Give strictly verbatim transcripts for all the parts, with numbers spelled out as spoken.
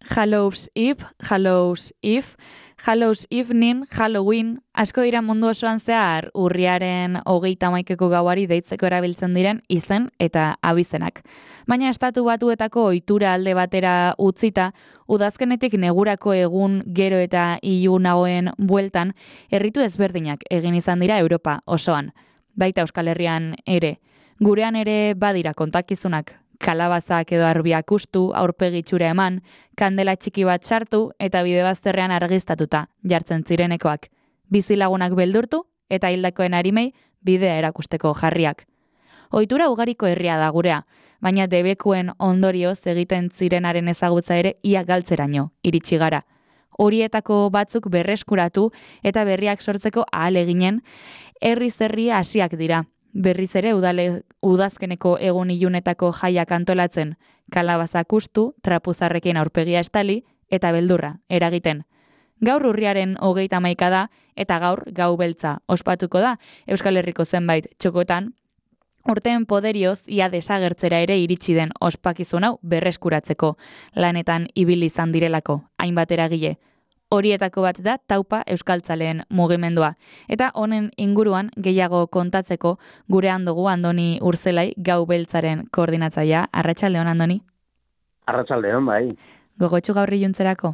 Hallows Eve, Hallows Eve, Hallows Evening, Halloween, asko dira mundu osoan zehar urriaren hogeita hamaikeko gauari deitzeko erabiltzen diren izen eta abizenak. Baina estatu batuetako ohitura alde batera utzita, udazkenetik negurako egun gero eta ilunagoen bueltan, erritu ezberdinak egin izan dira Europa osoan. Baita Euskal Herrian ere. Gurean ere badira kontakizunak. Kalabazak edo arbiak ustu, aurpegitxura eman, kandela txiki bat sartu eta bide bazterrean argiztatuta, jartzen zirenekoak. Bizilagunak beldurtu eta hildakoen arimei bidea erakusteko jarriak. Ohitura ugariko herria da gurea, baina debekuen ondorioz egiten zirenaren ezagutza ere ia galtzeraino iritsi gara. Horietako batzuk berreskuratu eta berriak sortzeko ahaleginen herriz herri hasiak dira. Berriz ere udale, udazkeneko egun ilunetako jaiak antolatzen, kalabazak ustu, trapuzarrekin aurpegia estali eta beldurra eragiten. Gaur urriaren hogeita hamaika da eta gaur gau beltza ospatuko da Euskal Herriko zenbait txokotan, urteen poderioz ia desagertzera ere iritsi den ospakizun hau berreskuratzeko lanetan ibili izan direlako hainbat eragile. Horietako bat da Taupa Euskaltzaleen mugimendua. Eta honen inguruan gehiago kontatzeko gurean dugu Andoni Urzelai gau beltzaren koordinatzailea. Arratsaldeon, Andoni? Arratsaldeon, bai. Gogotsu gaur iluntzerako?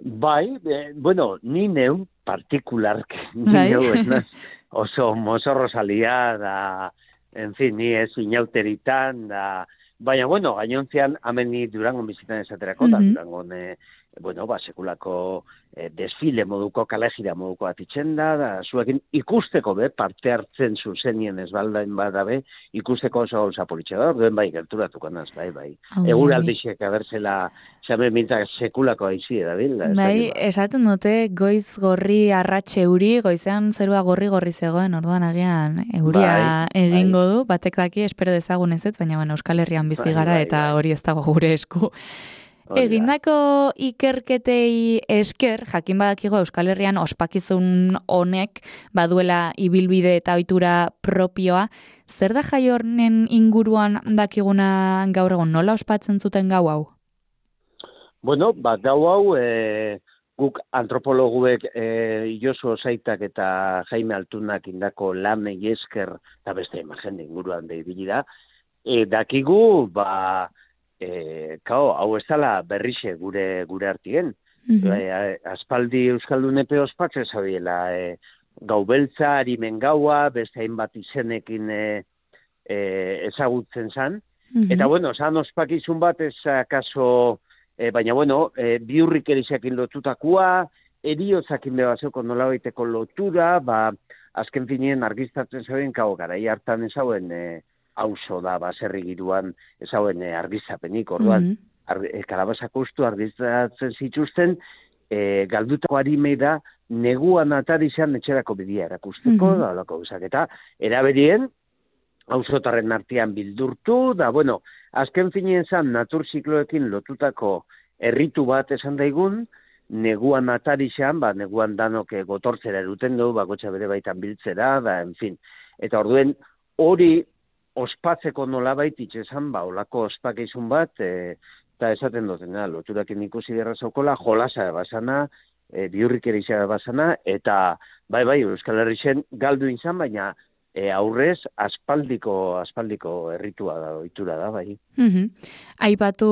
Bai, eh, bueno, ni neu partikulark, ni bai. neu ez oso mozorro salia da, en fin, ni ez inauteritan da, baina, bueno, gainontzean ameni Durangon bizitan esaterako, da, Mhm. Durangon, eh, bueno, ba, sekulako eh, desfile moduko, kalejira moduko atitzen da, da, zuekin ikusteko be, parte hartzen zuzenien ez baldain badabe, ikusteko oso gauza politxe da, duen bai, gerturatuko naz, bai, bai. Egur aldixek abertzela, xame mintak sekulako aizi edabil. Bai, esaten dute goiz gorri arratxe euri, goizean zerua gorri-gorri zegoen, orduan agian euria bai, egingo bai. du, batek daki, espero dezagun ez, baina bueno, Euskal Herrian bizi Bai, gara bai, eta bai. hori ez dago gure esku. Egindako ikerketei esker, jakin badakigo Euskal Herrian ospakizun honek baduela ibilbide eta ohitura propioa, zer da jai honen inguruan dakiguna gaur egun, nola ospatzen zuten gau hau? Bueno, ba, gau hau, e, guk antropologuek e, Josu Osaitak eta Jaime Altunak indako lanei esker, eta beste jende inguruan behibili da, e, dakigu, ba, E, kao, hau ez dala berrixe gure gure artien. Mhm. E, aspaldi Euskaldunepe ospatzen zabiela e, gau beltza, harimen gaua, beste hainbat izenekin e, e, ezagutzen zan. Mhm. Eta bueno, zan ospakizun bat ez akaso, e, baina bueno, e, biurrik erizakin lotutakoa, eriotzakin behazeko nola baiteko lotura, ba, azken finien argiztatzen zaben, kao, garai hartan ezauen, e, auzo da, baserri giruan ezauen e, argizapenik, orduan, Mhm. ar, e, kalabazak ustu argizatzen zituzten, e, galdutako harimei da, neguan atarizan etxerako bidia erakusteko, Mhm. da, olako bizak, eta eraberien, auzotarren artean bildurtu, da, bueno, azken finien zan, naturzikloekin lotutako erritu bat esan daigun, neguan atarizan, ba, neguan danok e, gotortzera eruten du, bakotxa bere baitan biltzera, da, en fin, eta orduen, hori ospatzeko nolabait itxesan, ba, olako ospakizun bat, e, eta esaten dutena, loturakin ikusi derra zaukola, jolasa basana, e, biurrik ere izan basana, eta bai, bai, Euskal Herrixen galdu izan, baina e, aurrez aspaldiko, aspaldiko erritua da, ohitura da, bai. Mhm. Aipatu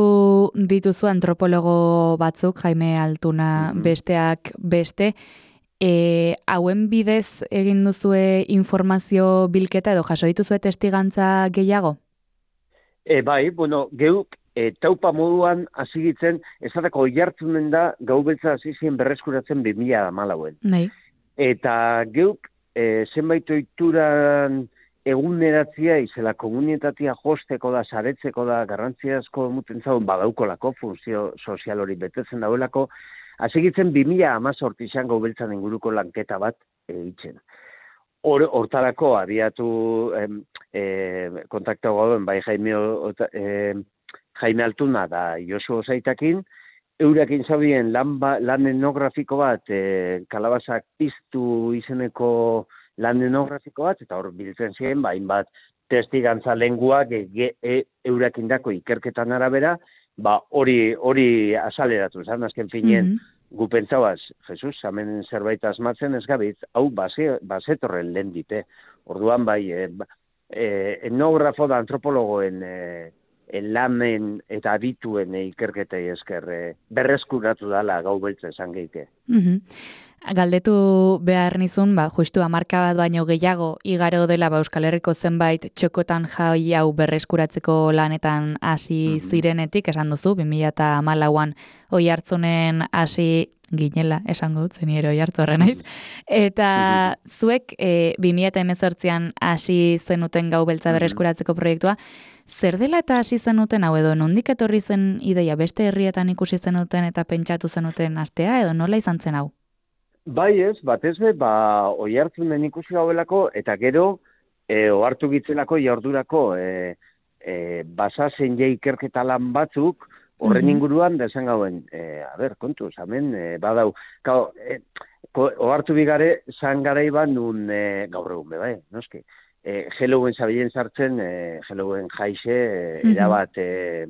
dituzu antropologo batzuk, Jaime Altuna Mhm. besteak beste, E, hauen bidez egin duzue informazio bilketa edo jaso dituzue testigantza gehiago? E, bai, bueno, geuk e, taupa moduan hasigitzen, ezatako oihartzunen da, gau beltza hasi zien berreskuratzen bi mila hamalauan. Bai. Eta geuk e, zenbait ohituran eguneratzia izela komunitatea josteko da, saretzeko da, garrantzia asko emuten zauen badaukolako, funtzio sozial hori betetzen dauelako, hasegitzen bi mila hamazortzi izango beltzan inguruko lanketa bat egiten. Hor, hortarako abiatu em, e, kontaktu gauden bai Jaime, e, Jaime Altuna da Josu Osaitakin, eurakin zabien lan, ba, lan etnografiko bat, e, kalabazak piztu izeneko lan etnografiko bat, eta hor biltzen ziren, ba, hainbat testigantza lenguak e, e, eurakindako ikerketan arabera, ba hori hori azaleratu zan, azken finean, Mhm. gu pentsauaz, Jesus, hemen zerbait asmatzen ez gabitz, hau base, basetorren lehen dite. Orduan bai, e, e, etnografo da antropologoen e, e, lanen eta adituen e, ikerketei esker e, berreskuratu dala gau beltza esan geike. Mhm. Galdetu behar nizun, ba, justu hamarka bat baino gehiago igaro dela ba, Euskal Herriko zenbait txokotan jai hau berreskuratzeko lanetan hasi Mhm. zirenetik, esan duzu, bi mila hamalauan Oiartzunen hasi ginela, esango dut, zeni ere Oiartzurra naiz. Eta zuek e, bi mila hemezortzian hasi zenuten gau beltza berreskuratzeko proiektua, zer dela eta hasi zenuten hau edo nondik etorri zen ideia beste herrietan ikusi zenuten eta pentsatu zenuten astea edo nola izan zen hau? Bai ez, batez be, ba, Oiartzunen ikusi gauelako, eta gero, e, ohartu gitzelako jardurako e, e, basazen je ikerketa lan batzuk, horren Mhm. inguruan, da esan gauen, e, a ber, kontuz, hemen, e, badau, kao, e, ko- ohartu bigare, zan garaiban nun, e, gaur egun be, bai, noski, e, Halloween zabilen sartzen, e, Halloween jaixe, e, Mhm. erabat, e,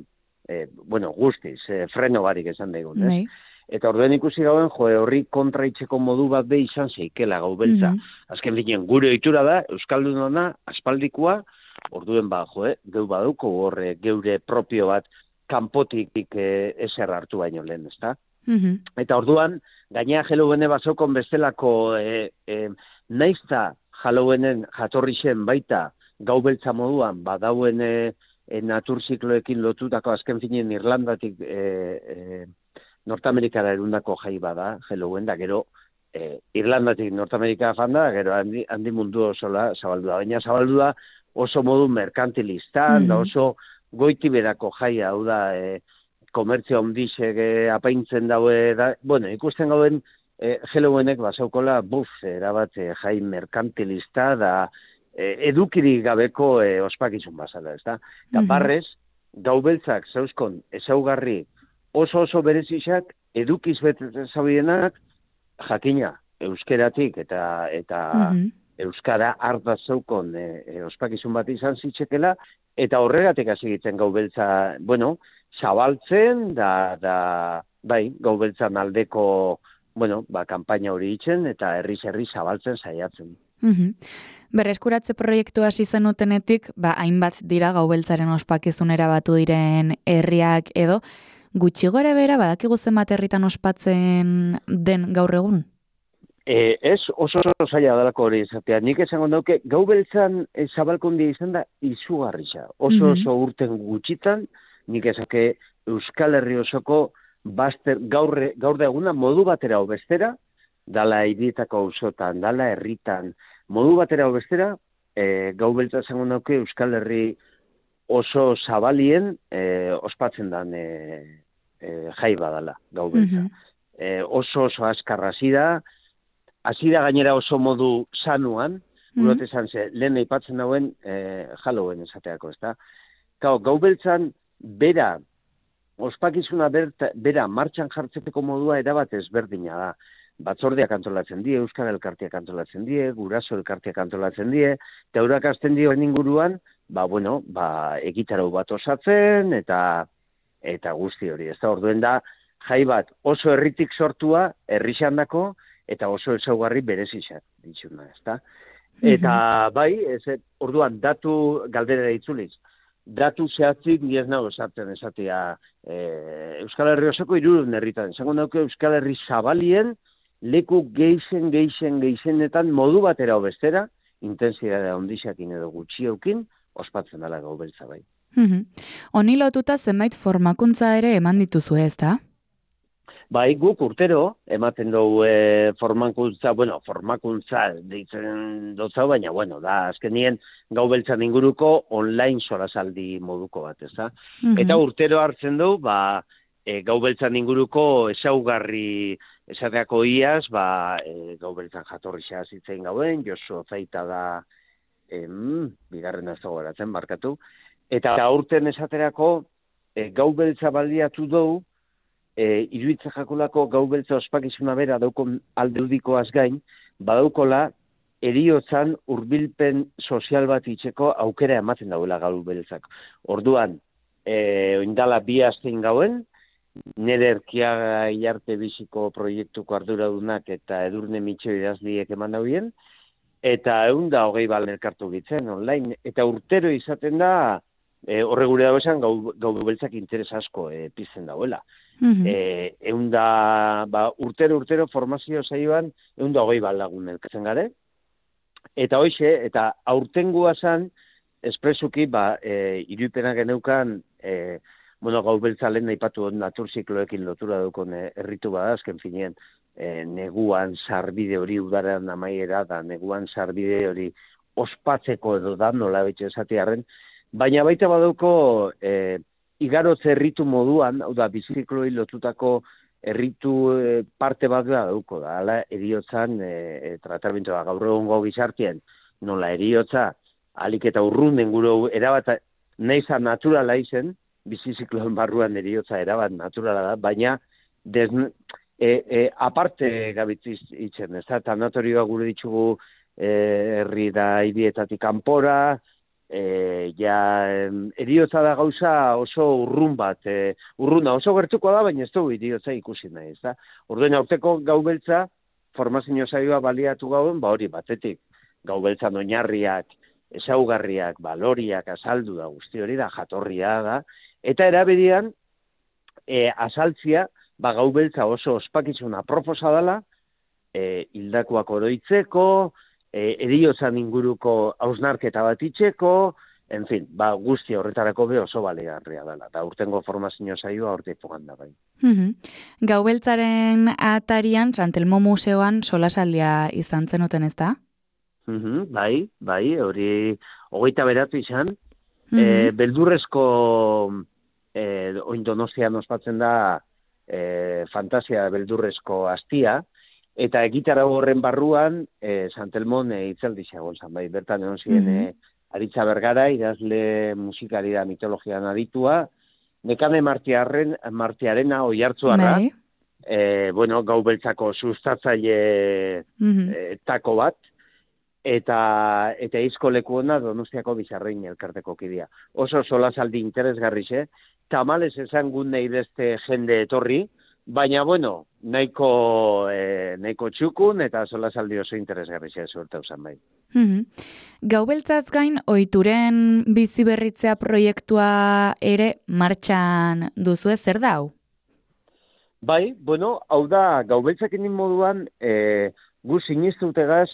e, bueno, guztiz, e, freno barik esan daigun, ez? Bai. Eta orduen ikusi gauen, jo, horri kontraitzeko modu bat be izan zeikela gau beltza. Mhm. Azken finean, gure ohitura da, Euskaldunona, aspaldikoa, orduen ba, jo, geu baduko horre, geure propio bat, kanpotik e, eser hartu baino lehen, ezta? Mhm. Eta orduan, gainea Halloweene bazokon bestelako, e, e, naizta Halloweenen jatorri zen baita, gau beltza moduan, badauen e, e, naturzikloekin lotutako azken finean Irlandatik e, e, Nortamerikara erundako jai bada, Halloween, da gero, e, Irlandatik Nortamerika janda, gero handi, handi mundu osola zabaldu da. Baina zabaldu da oso modu merkantilistan, da Mhm. oso goiti berako jaia, hau da, e, komertzio handixek e, apaintzen daue, da, bueno, ikusten gauen, e, Halloweenek basaukola, buf, erabat e, jai merkantilista, da, e, edukirik gabeko e, ospakizun bazala, ez da? Eta Mhm. barrez, gau beltzak zauzkon ezaugarri oso oso berezizak, edukiz betetzen zabienak, jakina, euskeratik eta eta Mhm. euskara harta zeukon e, e, ospakizun bat izan zitzekela, eta horregatik hasi egiten gau beltza, bueno, zabaltzen, da, da bai, gau beltzan aldeko, bueno, ba, kanpaina hori itzen, eta herriz-herri zabaltzen saiatzen. Mhm. Berreskuratze proiektu hasi zenutenetik, ba, hainbat dira gau beltzaren ospakizunera batu diren herriak edo, gutxi gora bera badakigu zenbat herritan ospatzen den gaur egun? E, ez oso oso zaila dalako hori izatea. Nik esango dauke, gau beltzan e, zabalkundia izan da izugarrisa. Oso Mhm. oso urten gutxitan, nik esake Euskal Herri osoko baster, gaur, gaur da eguna modu batera bestera, dala hirietako auzotan, dala herritan, modu batera bestera, e, gau beltza esango dauke Euskal Herri oso zabalien e, ospatzen dan e, e, jai badala, gau beltza. Mhm. E, oso oso azkar hasi da, hasi da gainera oso modu sanuan, Mhm. gurot esan ze, lehen aipatzen dauen e, Halloween esateako, ezta? Gau, gau beltzan, bera, ospakizuna berta, bera martxan jartzeko modua erabat ezberdina da. Batzordeak antolatzen die, Euskal Elkarteak antolatzen die, Guraso Elkarteak antolatzen die, eta eurak hasten dioen inguruan, ba, bueno, ba, egitarau bat osatzen, eta eta guzti hori, ez da, orduen da, jai bat oso herritik sortua, herrixandako, eta oso ezaugarri berezizak ditxuna, ez da. Eta bai, ez, orduan, datu galdera itzuliz, datu zehatzik ni ez nago esartzen esatea e, Euskal Herri osoko hirurehun herritan. Esango dauke Euskal Herri zabalien leku geixen, geixen, geixenetan modu batera o bestera, intensidadea ondixakin edo gutxiokin, ospatzen dela gau beltza bai. Mhm. Honi lotuta zenbait formakuntza ere eman dituzu ez da? Bai, guk urtero, ematen dugu e, formakuntza, bueno, formakuntza deitzen dotzau, baina, bueno, da, azkenien gau beltzan inguruko online solasaldi moduko bat, ez da? Mhm. Eta urtero hartzen du, ba, e, gau beltzan inguruko ezaugarri esateako iaz, ba, e, gau beltzan jatorri zitzen gauen, Josu Zaita da, em, bigarren ez dago eratzen, barkatu, eta aurten esaterako, e, gau beltza baliatu dugu, e, iruitza jakulako gau beltza ospakizuna bera daukon aldeudikoaz gain, badaukola eriotzan hurbilpen sozial bat itxeko aukera ematen dauela gau beltzak. Orduan, e, oindala bi astein gauen, nire Erkiaga Ilarte biziko proiektuko arduradunak eta Edurne Mitxo idazliek eman dauen, eta egun da hogei bal elkartu gitzen online, eta urtero izaten da, e, horre gure dago esan, gau, gau beltzak interes asko e, pizten dauela. Mhm. E, egun da, ba, urtero urtero formazio saioan, egun da hogei bal lagun elkartzen gare, eta hoxe, eta aurtengoa zan, espresuki, ba, e, iruipenak geneukan, e, bueno, gau beltza lehen naipatu naturzikloekin lotura dukon e, erritu bada, azken finean, e, neguan sarbide hori udaren amaiera, da neguan sarbide hori ospatzeko edo da, nola betxe esatearen, baina baita badauko e, igarotze erritu moduan, hau da, bizikloi lotutako erritu e, parte bat da dauko, da, ala, eriotzan, e, tratamentoa gaur egongo gizartien, nola eriotza, alik eta urrunden gure erabat, neiza naturala izen, bizizikloen barruan eriotza erabat naturala da, baina des, e, e, aparte gabitz itzen, ez da, tanatorioa gure ditugu e, herri da ibietatik kanpora, e, ja, eriotza da gauza oso urrun bat, e, urruna oso gertuko da, baina ez dugu eriotza ikusi nahi, ez da. Orduen aurteko gau beltza, formazio saioa baliatu gauen, ba hori batetik, gau beltzan oinarriak, ezaugarriak, baloriak, azaldu da, guzti hori da, jatorria da, eta erabedian, e, azaltzia, ba, gau beltza oso ospakizuna proposa dela, e, hildakoak oroitzeko, e, eriotzan inguruko hausnarketa bat itxeko, en fin, ba, guzti horretarako be oso baligarria dela, eta urtengo formazio saioa hortik pogan da bai. Mhm. Gau beltzaren atarian, Santelmo Museoan solasaldia izan zenuten, ez da? Mhm, bai, bai, hori hogeita beratu izan, Mhm. e, beldurrezko e, oin Donostian ospatzen da e, fantasia beldurrezko astia, eta egitarau horren barruan e, Santelmon e, itzaldi xagon zan, bai, bertan egon ziren Mhm. e, Aritza Bergara, idazle musikari da mitologian aditua, Nekane Martiarren, Martiarena oihartzuarra, Bai. e, bueno, gau beltzako sustatzaile Mhm. e, tako bat, eta eta izko lekuona Donostiako Bizarrein elkarteko kidea. Oso solasaldi interesgarrixe, tamales esan gun nahi beste jende etorri, baina bueno, nahiko, e, nahiko txukun eta solasaldi oso interesgarrixe zuertau zan bai. Mhm. Gau beltzaz gain, ohituren bizi berritzea proiektua ere martxan duzu, zer da hau? Bai, bueno, hau da, gau beltzakin moduan, e, gu sinistutegaz,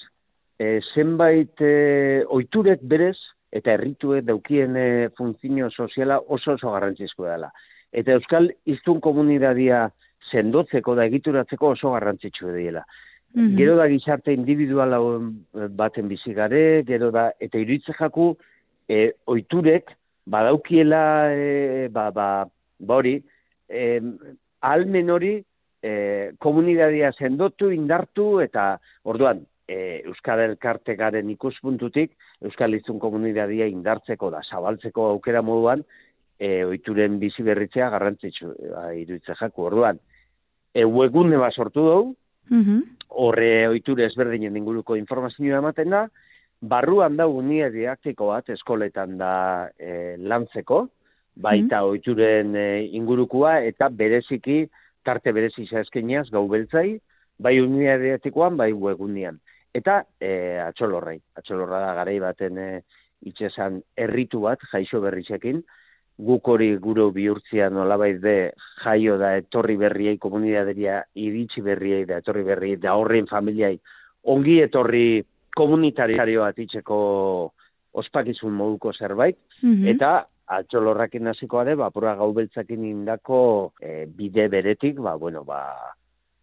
e, zenbait e, ohiturek berez, eta herrituek daukien e, funtzio soziala oso oso garrantzizkoa dela. Eta Euskal Hiztun komunitatea sendotzeko da egituratzeko oso garrantzitsua dela. Mhm. Gero da gizarte individuala baten bizi gare, gero da, eta iruitze jaku, e, ohiturek badaukiela, e, ba, ba, ba hori, e, ahalmen hori e, komunitatea sendotu, indartu, eta orduan, e, Euskal Elkarte garen ikuspuntutik, Euskal Hiztun komunitatea indartzeko da, zabaltzeko aukera moduan, e, ohituren bizi berritzea garrantzitsu iruitze jaku. Orduan, e, webgune bat sortu dugu, Mhm. horre ohiture ezberdinen inguruko informazioa ematen da, barruan da unia didaktiko bat eskoletan da e, lantzeko, baita ohituren e, ingurukua, eta bereziki, tarte berezi zaizkeniaz gau beltzai, bai unia didaktikoan, bai webgunean. Eta e, atxolorrai, atxolorra da garai baten e, itxesan erritu bat, jaixo berritzekin, guk hori gure bihurtzia nolabait be jaio da etorri berriei komunitatea iritsi berriei da etorri berriei da horren familiai ongi etorri komunitario bat itxeko ospakizun moduko zerbait, Mhm. eta atxolorrakin hasikoa de, ba, pura gau beltzakin indako e, bide beretik, ba, bueno, ba,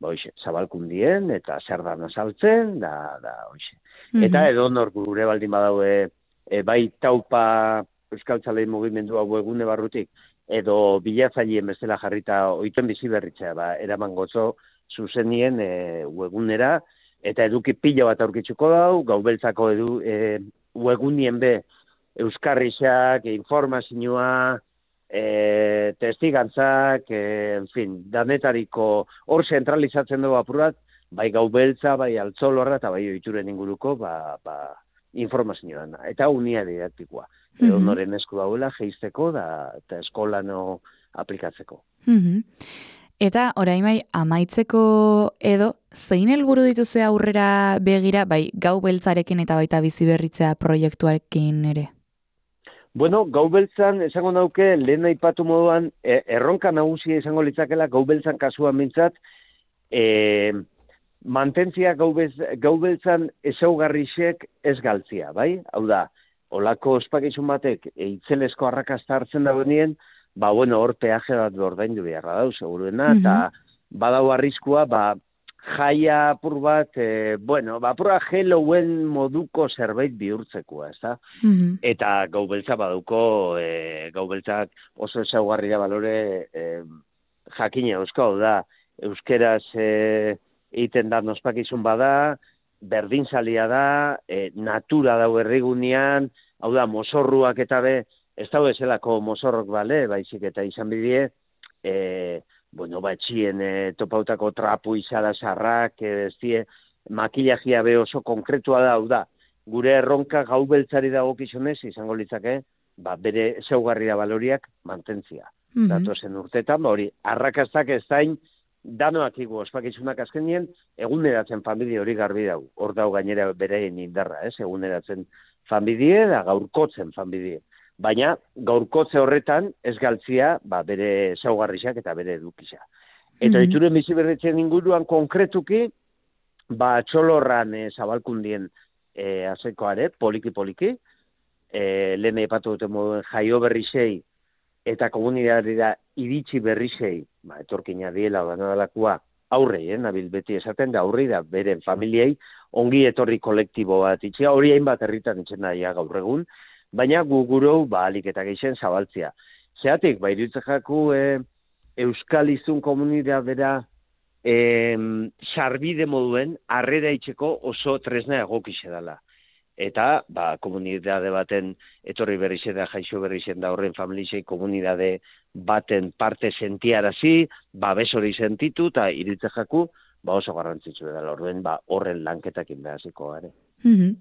ba, hoxe, zabalkundien, eta zer da azaltzen, da, da, hoxe. Mhm. Eta edo nor gure baldin badaue, e, bai taupa Euskaltzalei mugimendua webgune barrutik, edo bilatzaileen bezala jarrita ohituen bizi berritzea, ba, eraman gozo zuzenien e, webgunera, eta eduki pila bat aurkitzuko dau, gau beltzako edu, e, webgunien be, euskarrizak, informazioa, e, testigantzak, e, en fin, danetariko hor zentralizatzen dugu apurat, bai gau beltza, bai altzolorra, eta bai ohituren inguruko, ba, ba, informazioa da, eta unia didaktikoa. Edo noren esku dagoela jeizteko da, eta eskolano aplikatzeko. Mm-hmm. Eta orain bai, amaitzeko edo, zein helburu dituzue aurrera begira, bai, gau beltzarekin eta baita bizi berritzea proiektuarekin ere? Bueno, gau beltzan, esango nauke, lehen aipatu moduan, erronka nagusia izango litzakela gau beltzan kasuan mintzat, e, mantentzia gau beltzan ezaugarrixek ez galtzia, bai? Hau da, olako ospakizun batek itzelesko arrakasta hartzen dagoenien, ba, bueno, hor peaje bat ordaindu beharra dau, seguruena, eta mm-hmm. badau arriskua, ba, jaia apur bat, e, bueno, ba, apura Hallowen moduko zerbait bihurtzekoa, ez da? Mm-hmm. Eta gau beltza baduko, e, gau beltzak oso ezaugarria balore e, jakina euskau da, euskeraz e, egiten da ospakizun bada, berdinzalia da, e, natura dau herrigunean, hau da, mozorruak eta be, ez da bezalako mozorrok bale, baizik eta izan bidie, e, bueno, batxien e, topautako trapu izala sarrak, e, ez die, makillajia be oso konkretua da, hau da, gure erronka gau beltzari dagokizunez izango litzake, ba, bere zeugarria baloriak mantentzia. Mm-hmm. Datozen urtetan, ba, hori, arrakastak ez dain, danoak igu ospakizunak azkenien, eguneratzen familie hori garbi dago. Hor dago gainera bereien indarra, ez? Eguneratzen familie da gaurkotzen familie. Baina gaurkotze horretan ez galtzia ba, bere zaugarriak eta bere edukisa. Eta mm-hmm. ituren bizi berritzen inguruan konkretuki, ba, txolorran e, zabalkundien e, azekoare, poliki-poliki, e, lehen epatu dute moduen jaio berrizei eta komunidadera iritsi berrizei, ba, etorkina diela banadalakua aurrei, eh, nabil beti esaten da aurrei da beren familiei ongi etorri kolektibo bat itxea, hori hainbat herritan itxen daia gaur egun, baina gu gurou ba, alik eta geixen zabaltzia. Zeatik, ba, iruditzen jaku e, Euskal Izun komunidadera e, sarbide moduen harrera itxeko oso tresna egokixe dela. Eta, ba, komunidade baten etorri berrizen da, jaixo berrizen da horren familizei komunidade baten parte sentiarazi, babes hori sentitu, eta iruditzen jaku, ba, oso garrantzitsu dela orduen, ba, horren lanketakin behaziko gare. Mm-hmm.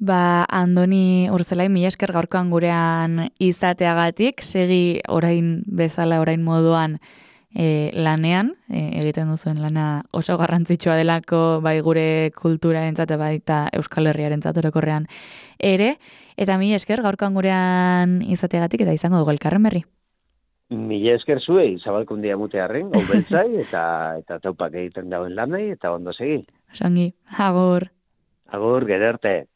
Ba, Andoni Urzelai, mila esker gaurkoan gurean izateagatik, segi orain bezala, orain moduan e, lanean, e, egiten duzuen lana oso garrantzitsua delako bai gure kulturarentzat baita Euskal Herriarentzat orokorrean ere, eta mila esker gaurkoan gurean izateagatik eta izango dugu elkarren berri. Mila esker zuei, zabalkundia mutearren, gau beltzai, eta, eta taupak egiten dauen lanai, eta ondo segi. Osongi, agur. Agur, gerarte.